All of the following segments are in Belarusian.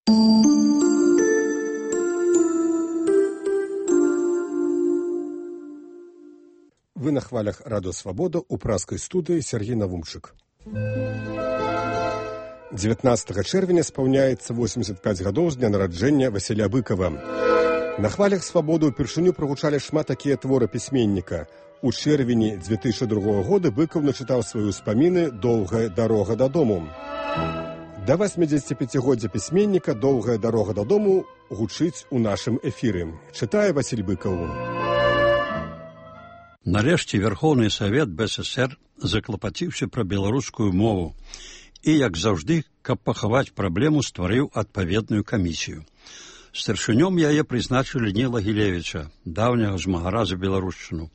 Вы на хвалях Радио Свобода у праскай студыі Сергей Навумчык. 19 чэрвеня спаўняецца 85 гадоў з дня нараджэння Васіля Быкова. На хвалях Свабоды ўпершыню прагучалі шмат такія творы пісьменніка. У чэрвені 2002 года Быков начытаў свае ўспаміны «Доўгая дарога дадому». Да 85-годдзя пісьменніка «Доўгая дарога дадому» гучыць у нашым эфіры. Чытае Васіль Быков. Нарэшце Верховны Савет БССР заклапаціўся пра беларускую мову і, як заўжды, каб пахаваць праблему, стварыў адпаведную камісію. Старшынём яе прызначылі Ніла Гілевіча, даўняга змагара за беларушчыну.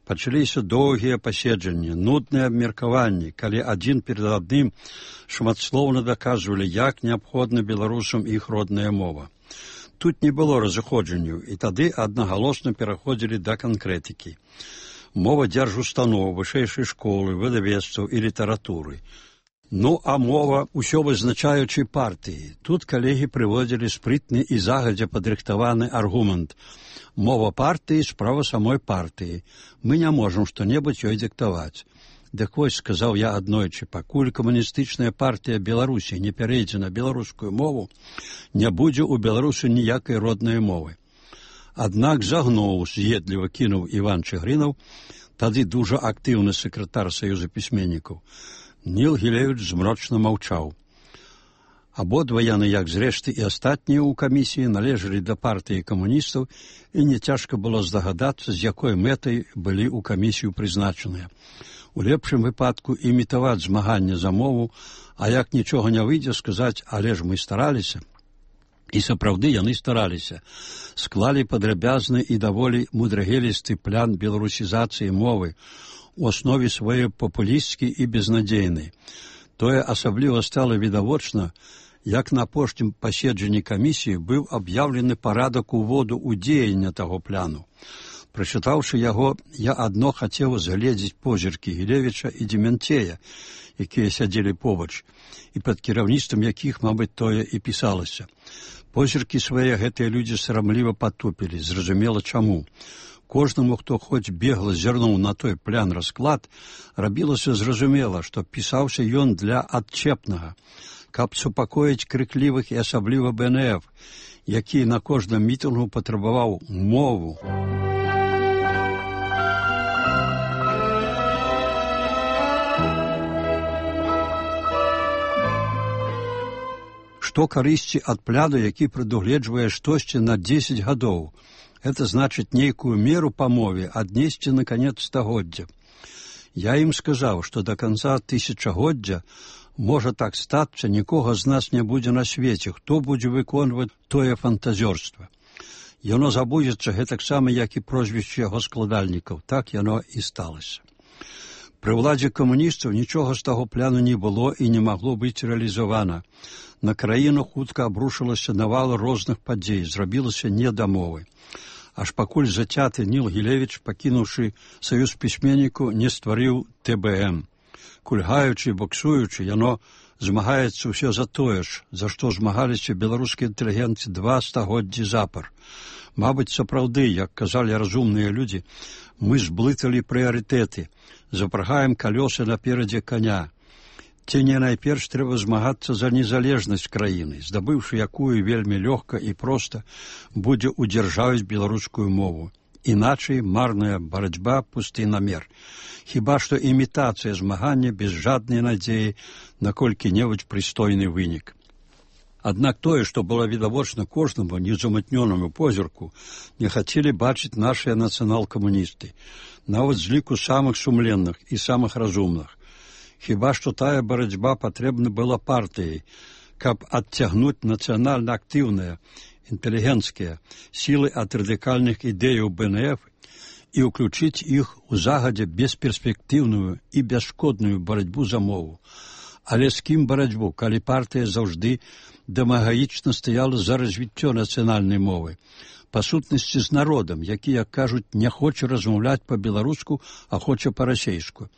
Пачаліся доўгія паседжанні, нудныя абмеркаванні, калі адзін перад адным шматслоўна даказвалі, як неабходна беларусам іх родная мова. Тут не было разыходжанняў, і тады аднагалосна пераходзілі да канкрэтыкі. Мова дзяржустаноў, вышэйшай школы, выдавецтваў і літаратуры. Ну, а мова ўсё вызначаючай партыі. Тут калегі прыводзілі спрытны і загадзя падрыхтаваны аргумент. Мова партыі – справа самой партыі. Мы не можам што-небудзь ёй дыктаваць. Дык вось, сказаў я аднойчы, пакуль камуністычная партыя Беларусі не перейдзе на беларускую мову, не будзе ў Беларусі ніякай роднай мовы. Аднак загнуў, з'едліва кінуў Іван Чыгрынаў, тады дужа актыўны сакратар Саюза пісьменнікаў. Ніл Гілевіч змрочна маўчаў. Абодва яны, як зрэшты і астатнія ў камісіі, належалі да партыі камуністаў, і няцяжка было здагадацца, з якой мэтай былі ў камісію прызначаныя. У лепшым выпадку імітаваць змаганне за мову, а як нічога не выйдзе, сказаць, але ж мы стараліся. І сапраўды яны стараліся. Склалі падрабязны і даволі мудрагелісты план беларусізацыі мовы, у аснове сваёй папулісцкі і безнадзейны. Тое асабліва стала відавочна, як на апошнім паседжанні камісіі быў аб'яўлены парадак уводу ў дзеянне таго пляну. Прачытаўшы яго, я адно хацеў згледзець позіркі Гілевіча і Демянцея, якія сядзелі побач, і пад кіраўніцтвам якіх, мабыць, тое і пісалася. Позіркі свае гэтыя людзі сарамліва патупілі, зразумела чаму. Кожнаму, хто хоць бегла зірнуў на той плян расклад, рабілася зразумела, што пісаўся ён для адчэпнага, каб супакоіць крыклівых і асабліва БНФ, які на кожным мітынгу патрабаваў мову. Што карысці ад пляну, які прадугледжвае штосьці на 10 гадоў? Это значыць нейкую меру па мове аднесці на канец стагоддзя. Я ім сказаў, што да канца тысячагоддзя можа так стацца, нікога з нас не будзе на свеце, хто будзе выконваць тое фантазёрства. Яно забудзецца гэтаксама, як і прозвішчы яго складальнікаў. Так яно і сталася. Пры ўладзе камуністаў нічога з таго пляну не было і не магло быць рэалізавана. На краіну хутка абрушылася навал розных падзей, зрабілася не да мовы. Аж пакуль зацяты Ніл Гілевіч, пакінуўшы Саюз пісьменніку, не стварыў ТБМ. Кульгаючы і боксуючы, яно змагаецца ўсё за тое ж, за што змагаліся беларускія інтэлігенты 2 стагоддзі запар. Мабыць, сапраўды, як казалі разумныя людзі, мы зблыталі прыярытэты, запрагаем калёсы наперадзе каня. Ці не найперш трэба змагацца за незалежнасць краіны, здабыўшы якую вельмі лёгка і проста будзе удзяржавіць беларускую мову. Іначай марная барацьба, пусты намер. Хіба што імітацыя змагання без жаднай надзеі на колькі-небудзь прыстойны вынік. Аднак тое, што было відавочна кожнаму незамытнёнаму позірку, не хацелі бачыць нашыя нацыянал-камуністы, нават з ліку самых сумленных і самых разумных. Хіба што тая барацьба патрэбна была партыяй, каб адцягнуць нацыянальна актыўныя, інтэлігенцкія сілы ад радыкальных ідэяў БНФ і ўключыць іх у загадзя бесперспектыўную і бясшкодную барацьбу за мову. Але з кім барацьбу, калі партыя заўжды дэмагаічна стаяла за развіццё нацыянальнай мовы? па сутнасці з народам, які, як кажуць, не хоча размаўляць па-беларуску, а хоча па-расейску.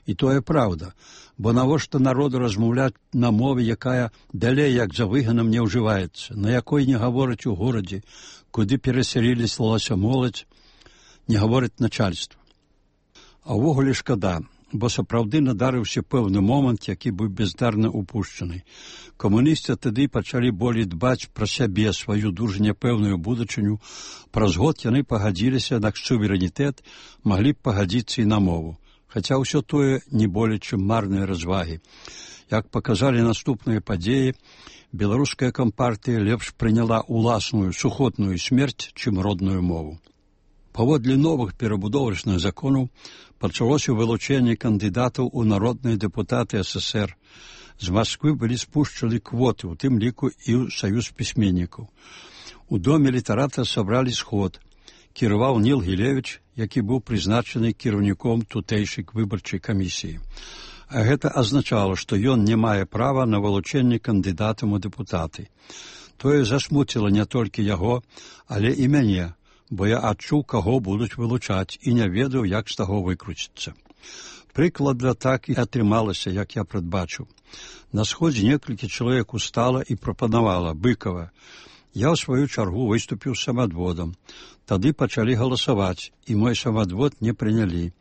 І тое праўда, бо навошта народу размаўляць на мове, якая далей, як за выганам, не ўжываецца, на якой не гавораць у горадзе, куды перасялілася моладзь, не гаворыць начальства. А ўвогуле шкада, бо сапраўды надарыўся пэўны момант, які быў бездарна упушчаны. Камуністы тады пачалі болей дбаць пра сябе, сваю дужа няпэўную будучыню. Праз год яны пагадзіліся на суверэнітэт, маглі б пагадзіцца і на мову. Хаця ўсё тое не болей, чым марныя развагі. Як паказалі наступныя падзеі, беларуская кампартыя лепш прыняла ўласную сухотную смерць, чым родную мову. Паводле новых перабудовачных законаў пачалося вылучэнне кандыдатаў у народныя дэпутаты СССР. З Масквы былі спушчаны квоты, у тым ліку і ў саюз пісьменнікаў. У доме літарата сабралі сход. Кіраваў Ніл Гілевіч, які быў прызначаны кіраўніком тутэйшай выбарчай камісіі. А гэта азначала, што ён не мае права на вылучэнне кандыдатам у дэпутаты. Тое засмуціла не толькі яго, але і мяне, бо я адчуў, каго будуць вылучаць, і не ведаў, як з таго выкруціцца. Прыкладна так і атрымалася, як я прадбачыў. На сходзе некалькі чалавек устала і прапанавала Быкова. Я, ў сваю чаргу, выступіў самадводам. Тады пачалі галасаваць, і мой самадвод не прынялі.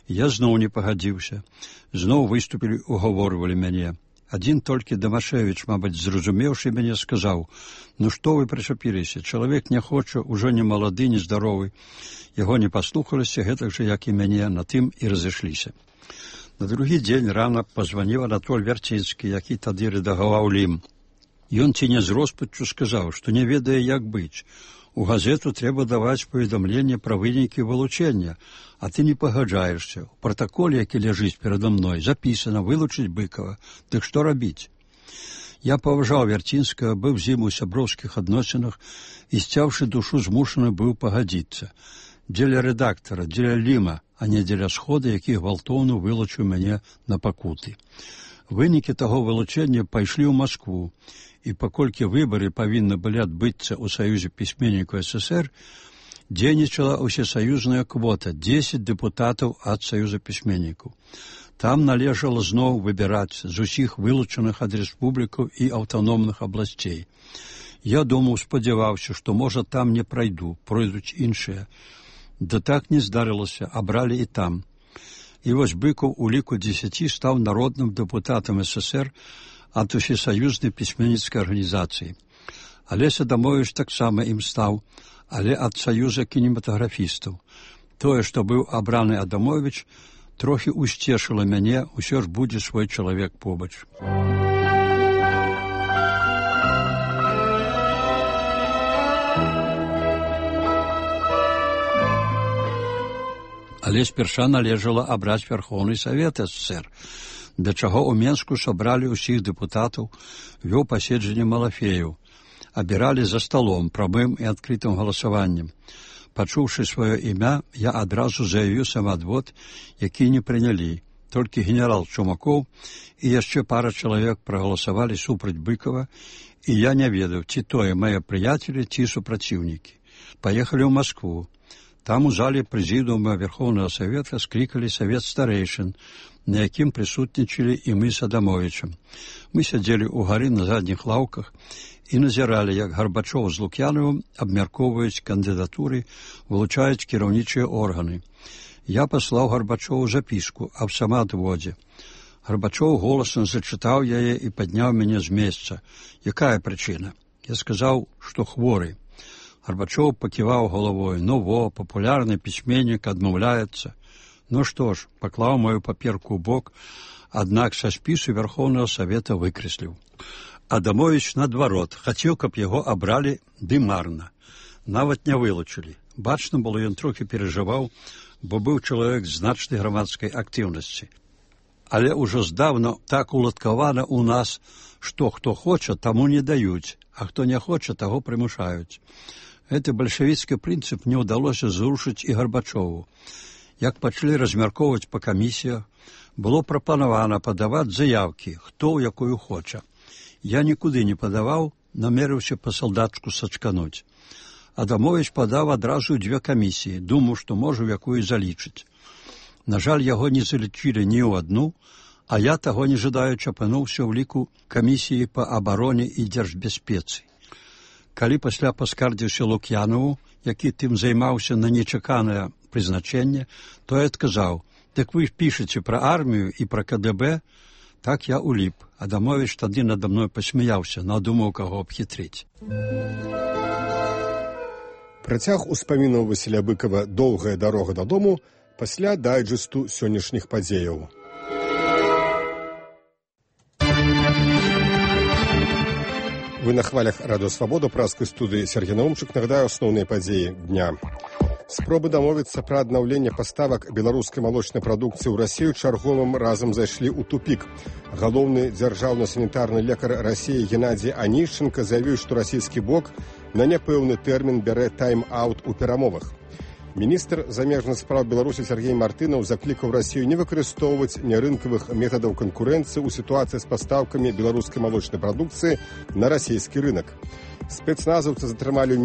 Я зноў не пагадзіўся. Зноў выступілі, угаворвалі мяне. Адзін толькі Дамашевіч, мабыць, зразумеўшы мяне, сказаў: «Ну што вы прычапіліся? Чалавек не хоча, ужо не малады, не здаровы». Яго не паслухаліся, гэтак жа, як і мяне, на тым і разышліся. На другі дзень рана пазваніў Анатоль Вярцінскі, які тады рэдагаваў Лім. Ён ці не з роспаччу сказаў, што не ведае, як быць. У газету трэба даваць паведамленне пра вынікі вылучэння, а ты не пагаджаешся. У пратаколе, які ляжыць перада мной, запісана вылучыць Быкова. Дык што рабіць? Я паважаў Вярцінскага, быў з ім у сяброўскіх адносінах і, сцяўшы душу, змушаны быў пагадзіцца. Дзеля рэдактара, дзеля Ліма, а не дзеля схода, які гвалтоўна вылучыў мяне на пакуты. Вынікі таго вылучэння пайшлі ў Маскву, і паколькі выбары павінны былі адбыцца ў Саюзе пісьменнікаў СССР, дзейнічала ўсесаюзная квота 10 дэпутатаў ад Саюза пісьменнікаў. Там належала зноў выбіраць з усіх вылучаных ад рэспублікаў і аўтаномных абласцей. Я думаў, спадзяваўся, што, можа, там не прайду, пройдуць іншыя. Да так не здарылася, абралі і там. І вось Быкаў у ліку 10 стаў народным дэпутатам СССР ад усесаюзнай пісьменніцкай арганізацыі. Алеся Адамовіч таксама ім стаў, але ад Саюза кінематаграфістаў. Тое, што быў абраны Адамовіч, трохі усцешыла мяне, усё ж будзе свой чалавек побач. Але спярша належала абраць Верхоўны Савет СССР, да чаго ў Менску сабралі ўсіх дэпутатаў, вёў паседжанне малафеяў, абіралі за сталом, прамым і адкрытым галасаваннем. Пачуўшы сваё імя, я адразу заявіў самадвод, які не прынялі. Толькі генерал Чумакоў і яшчэ пара чалавек прагаласавалі супраць Быкова, і я не ведаў, ці тое мае прыяцелі, ці супраціўнікі. Паехалі ў Маскву. Там у зале прэзідыума Верхоўнага Савета склікалі савет старэйшын, на якім прысутнічалі і мы з Адамовічам. Мы сядзелі ўгары на задніх лаўках і назіралі, як Гарбачоў з Лук'янавым абмяркоўваюць кандыдатуры, вылучаюць кіраўнічыя органы. Я паслаў Гарбачову запіску аб самаадводзе. Гарбачоў голасна зачытаў яе і падняў мяне з месца. Якая прычына? Я сказаў, што хворы. Гарбачоў паківаў галавой. Ну во, папулярны пісьменнік адмаўляецца. Ну што ж, паклаў мою паперку ў бок, аднак са спісу Верхоўнага Савета выкрэсліў. Адамовіч, наадварот, хацеў, каб яго абралі, ды марна. Нават не вылучылі. Бачна было, ён трохі перажываў, бо быў чалавек значнай грамадскай актыўнасці. Але ўжо здаўна так уладкавана ў нас, што хто хоча, таму не даюць, а хто не хоча, таго прымушаюць. Гэты бальшавіцкі прынцып не ўдалося зрушыць і Гарбачову. Як пачалі размяркоўваць па камісіях, было прапанавана падаваць заявкі, хто ў якую хоча. Я нікуды не падаваў, намерыўся па салдатчку сачкануць. Адамович падаў адразу 2 камісіі, думаў, што можа в якую залічыць. На жаль, яго не залічылі ні ў адну, а я, таго не жадаючы, апынуўся ў ліку камісіі па абароне і дзяржбяспецы. Калі пасля паскардзіўся Лук'янову, які тым займаўся на нечаканае прызначэнне, то я адказаў: «Дык вы пішаце пра армію і пра КДБ?» Так я уліп. Адамович тады надо мной пасмяяўся, надумаў каго абхітрыць. Працяг успамінаў Васіля Быкава «Доўгая дарога дадому» пасля дайджэсту сённяшніх падзеяў. Вы на хвалях Радыё Свабода, праскай студыі Сергей Наумчык. Нагадаю асноўныя падзеі дня. Спробы дамовіцца пра аднаўленне паставак беларускай малочнай прадукцыі ў Расію чарговым разам зайшлі ў тупік. Галоўны дзяржаўна-санітарны лекар Расіі Геннадзій Анішченка заявіў, што расійскі бок на няпэўны тэрмін бярэ тайм-аут у перамовах. Міністр замежных спраў Беларусі Сергей Мартынаў заклікаў Расію не выкарыстоўваць нярынкавых метадаў канкурэнцыі ў сітуацыі з пастаўкамі беларускай малочнай прадукцыі на расійскі рынак. Спецназаўцы затрымалі